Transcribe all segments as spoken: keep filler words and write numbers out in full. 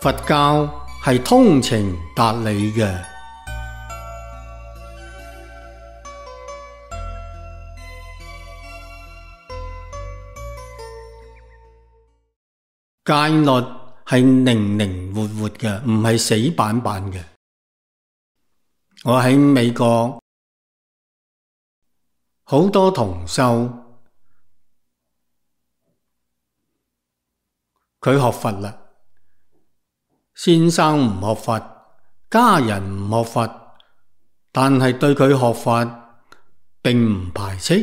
佛教係通情達理嘅。戒律係靈靈活活嘅，唔係死板板嘅。我喺美國好多同修，佢學佛啦，先生唔學佛，家人唔學佛，但係對佢學佛並唔排斥。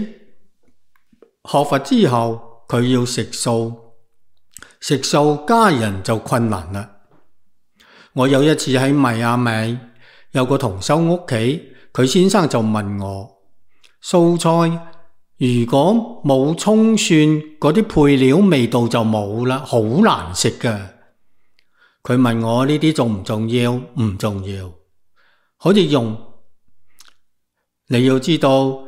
學佛之後，佢要食素，食素家人就困難啦。我有一次喺邁阿密有個同修屋企，佢先生就問我，素菜如果冇蔥蒜嗰啲配料，味道就冇啦，好難食㗎。佢問我呢啲重唔重要？唔重要，可以用。你要知道，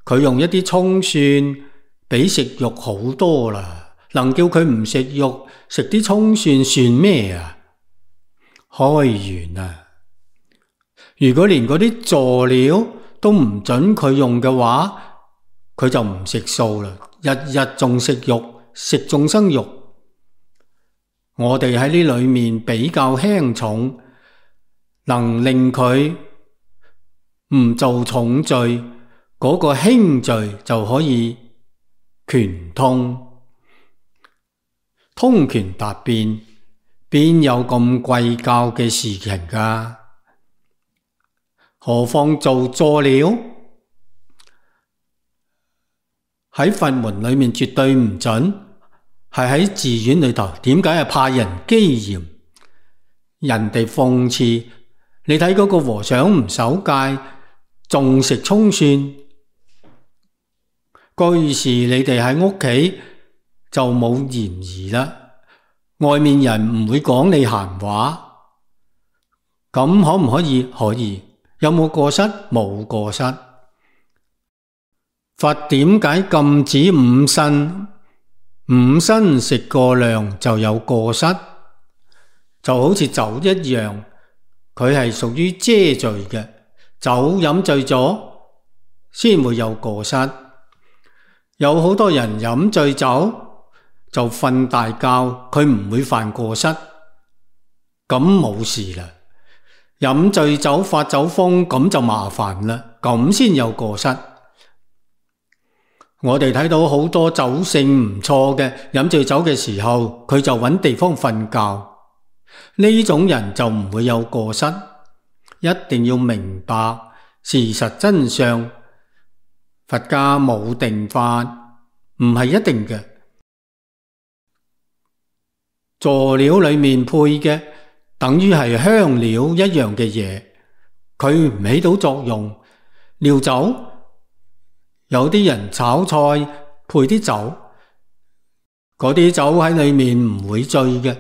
佢用一啲蔥蒜比食肉好多啦，能叫佢唔食肉，食啲蔥蒜算咩啊？開源啊！如果連嗰啲佐料都唔准佢用嘅話，佢就唔食素啦，日日仲食肉，食眾生肉。我哋喺呢裏面比較輕重，能令佢唔做重罪，嗰個輕罪就可以權通，通權達變，邊有咁貴教嘅事情㗎？何況做佐料，喺佛門裏面絕對唔准，係喺寺院裏頭。點解係怕人譏嫌，人哋諷刺？你睇嗰個和尚唔守戒，仲食蔥蒜，居士你哋喺屋企就冇嫌疑啦，外面人唔會講你閒話。咁可唔可以？可以。有冇過失？冇過失。佛點解禁止五辛？五辛食過量就有過失，就好似酒一樣，佢係屬於遮罪嘅。酒飲醉咗先會有過失。有好多人飲醉酒就瞓大覺，佢唔會犯過失，咁冇事啦。飲醉酒發酒瘋，咁就麻煩啦，咁先有過失。我哋睇到好多酒性唔錯嘅，飲醉酒嘅時候，佢就揾地方瞓覺，呢種人就唔會有過失。一定要明白事實真相，佛家冇定法，唔係一定嘅。佐料裏面配嘅等於係香料一樣嘅嘢，佢唔起到作用。料酒，有啲人炒菜配啲酒，嗰啲酒喺裏面唔會醉嘅。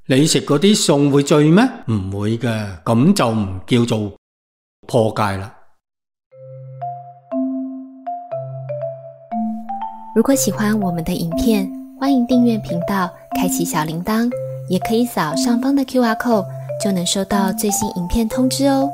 你食嗰啲餸會醉咩？唔會嘅，咁就唔叫做破戒啦。如果喜歡我們的影片，歡迎訂閱頻道，開啟小鈴鐺，也可以掃上方的 Q R code，就能收到最新影片通知哦。